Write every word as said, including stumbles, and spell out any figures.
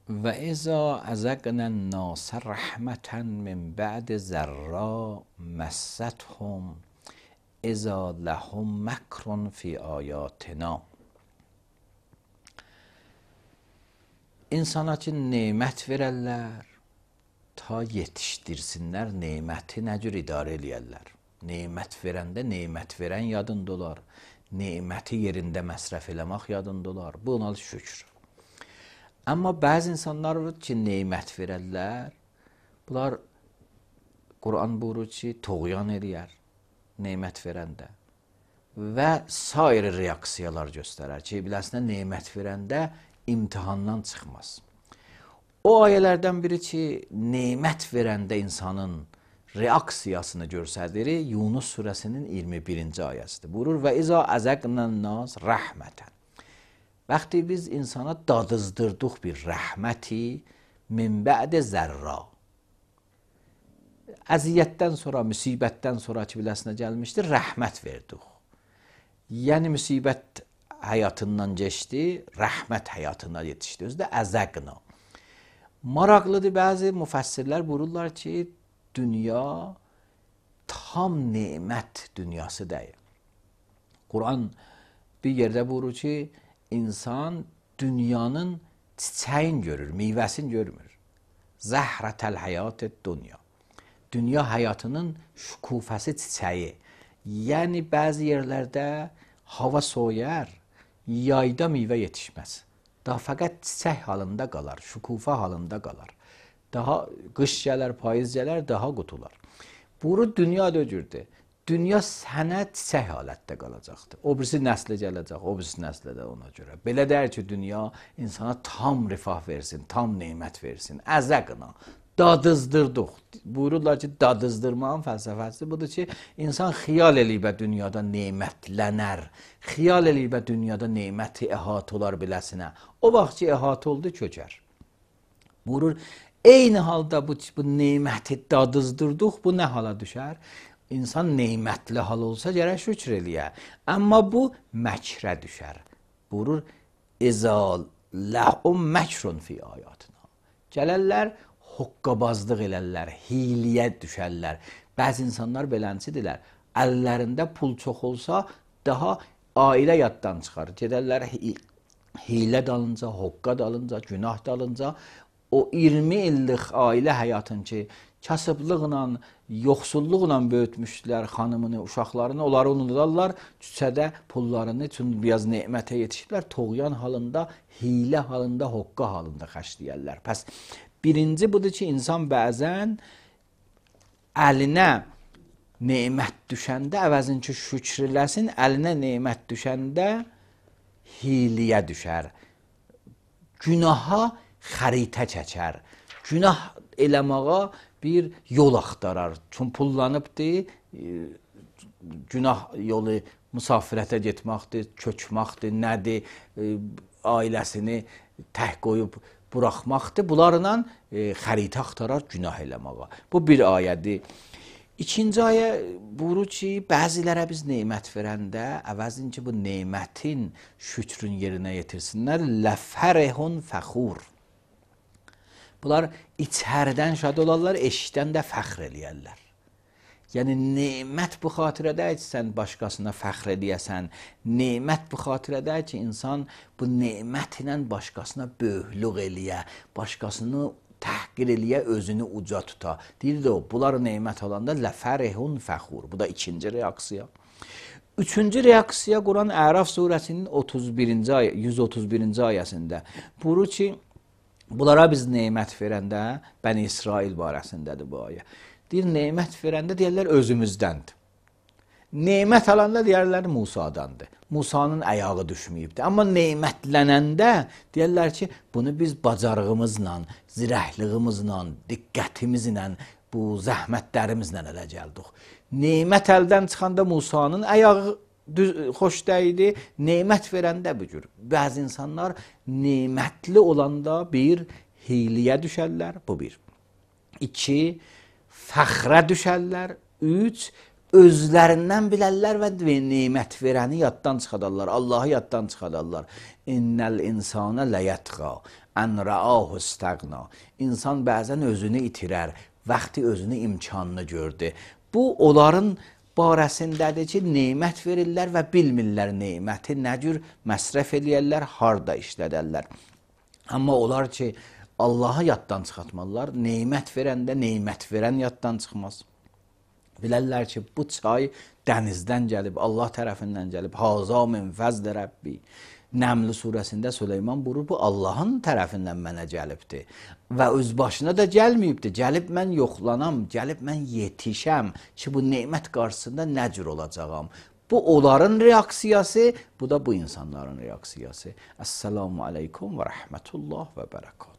و اذا اذقنا الناس رحمة من بعد ضراء مستهم اذا لهم مکر فی آیاتنا. İnsana ki nemət verərlər, ta yetişdirsinlər, neməti nə cür idarə eləyərlər. Nemət verəndə nemət verən yadında olar, neməti yerində məsrəf eləmək yadında olar. Bu ona şükür. Amma bəzi insanlar var ki, nemət verərlər, bunlar Quran buyurur ki, toğyan eləyər nemət verəndə və sair reaksiyalar göstərər ki, biləsinə nemət verəndə imtihandan çıxmaz. O ayələrdən biri ki, nemət verəndə insanın reaksiyasını göstərir, Yunus surəsinin iyirmi birinci ayəsidir. Buyurur və izə əzəqnən nas rəhmətən. Vaxtı biz insana dadızdırdıq bir rəhməti min bə'də zərra. Əziyyətdən sonra, müsibətdən sonra ki, biləsinə gəlmişdir, rəhmət verdik. Yəni, müsibət həyatından geçdi, rəhmət həyatına yetişdi. Özü də əzəqna. Maraqlıdır, bəzi müfəssirlər buyururlar ki, dünya tam nemət dünyası deyil. Quran bir yerdə buyurur ki, insan dünyanın çiçəyin görür, meyvəsini görmür. Zəhrətəl həyat-ı dünya. Dünya həyatının şükufəsi çiçəyi. Yəni, bəzi yerlərdə hava soyar, yayda meyvə yetişməz. Daha fəqət çiçək halında qalar, şükufa halında qalar. Daha qış gələr, payız gələr, daha qutular. Buyurur, dünya da öcürdür. Dünya sənə çiçək halətdə qalacaqdır. O birisi nəslə gələcək, o birisi nəslə də ona görə. Belə deyir ki, dünya insana tam rifah versin, tam neymət versin. Əzəqna. Dadızdırdıq. Buyururlar ki, dadızdırmağın fəlsəfəsi budur ki, insan xiyal eləyib dünyada nemətlənər. Xiyal eləyib dünyada neməti əhat olar biləsinə. O vaxt ki, əhat oldu, kökər. Buyurur, eyni halda bu, bu neməti dadızdırdıq, bu nə hala düşər? İnsan neymətli hal olsa gərək şükür eləyə. Amma bu məkrə düşər. Buyurur, İzə ləhum məkrun fi ayatına. Gələrlər, hoqqabazlıq elərlər, hiyliyə düşərlər. Bəzi insanlar beləncidirlər. Əllərində pul çox olsa, daha ailə yaddan çıxar. Gedərlər hiylə dalınca, hoqqa dalınca, günah dalınca. O iyirmi illik ailə həyatın ki, kasıblıqla, yoxsulluqla böyütmüşdülər xanımını, uşaqlarını, onları unudarlar. Küçədə pullarını üçün biraz nemətə yetişiblər. Toğyan halında, hiylə halında, hoqqa halında xərcləyərlər. Pəs birinci budur ki, insan bəzən əlinə nemət düşəndə, əvəzin ki, şükür eləsin, əlinə nemət düşəndə hiyliyə düşər. Günaha xəritə çəkər. Günah eləməğa bir yol axtarar. Çün pullanıbdır, günah yolu müsafirətə getməkdir, köçməkdir, nədir, ailəsini tək qoyub buraxmaqdır. Bunlarla e, xəritə axtarar günah eləməğa. Bu bir ayədir. İkinci ayə buyurur ki, bəzilərə biz nemət verəndə, əvəzin ki, bu nemətin şükrün yerinə yetirsinlər, ləfərəhun fəxur. Bunlar içərdən şad olarlar, eşdən də fəxr eləyərlər. Yəni, nemət bu xatirədə ki, sən başqasına fəxr edəyəsən, nemət bu xatirədə ki, insan bu nemət ilə başqasına böyüklük eləyə, başqasını təhqir eləyə, özünü uca tuta. Deyir də o, bunlar nemət olanda ləfərəhun fəxur. Bu da ikinci reaksiya. Üçüncü reaksiya Quran Əraf surəsinin otuz birinci ayə, yüz otuz birinci ayəsində buyurur ki, bunlara biz nemət verəndə, Bəni İsrail barəsindədir bu ayə. Deyir, nemət verəndə deyərlər özümüzdəndir. Nemət alanda deyərlər Musadandır. Musanın ayağı düşməyibdir. Amma nemətlənəndə deyərlər ki, bunu biz bacarığımızla, zirəhliyimizlə, diqqətimizlə, bu zəhmətlərimizlə ələ gəldik. Nemət əldən çıxanda Musanın ayağı xoş dəydi, nemət verəndə bu cür. Bəzi insanlar nemətli olanda bir hiyliyə düşərlər, bu bir. İki, fəxrə düşərlər. Üç, özlərindən bilərlər və nemət verəni yaddan çıxadarlar, Allahı yaddan çıxadarlar. İnnəl insana ləyətqa, ən rəahu istəqna. İnsan bəzən özünü itirər, vaxtı özünü imkanını gördü. Bu, onların barəsindədir ki, nemət verirlər və bilmirlər neməti nə cür məsrəf eləyərlər, harda işlədərlər. Amma onlar ki, Allahı yaddan çıxartmalılar, nemət verəndə nemət verən yaddan çıxmaz. Bilərlər ki, bu çay dənizdən gəlib, Allah tərəfindən gəlib. Haza min fəzl Rəbbi. Nəml surəsində Süleyman buyurur, bu Allahın tərəfindən mənə gəlibdir. Və öz başına da gəlməyibdir. Gəlib mən yoxlanam, gəlib mən yetişəm ki, bu nemət qarşısında nə cür olacağam. Bu onların reaksiyası, bu da bu insanların reaksiyası. Əssalamu aleykum və rəhmətullah və bərəkət.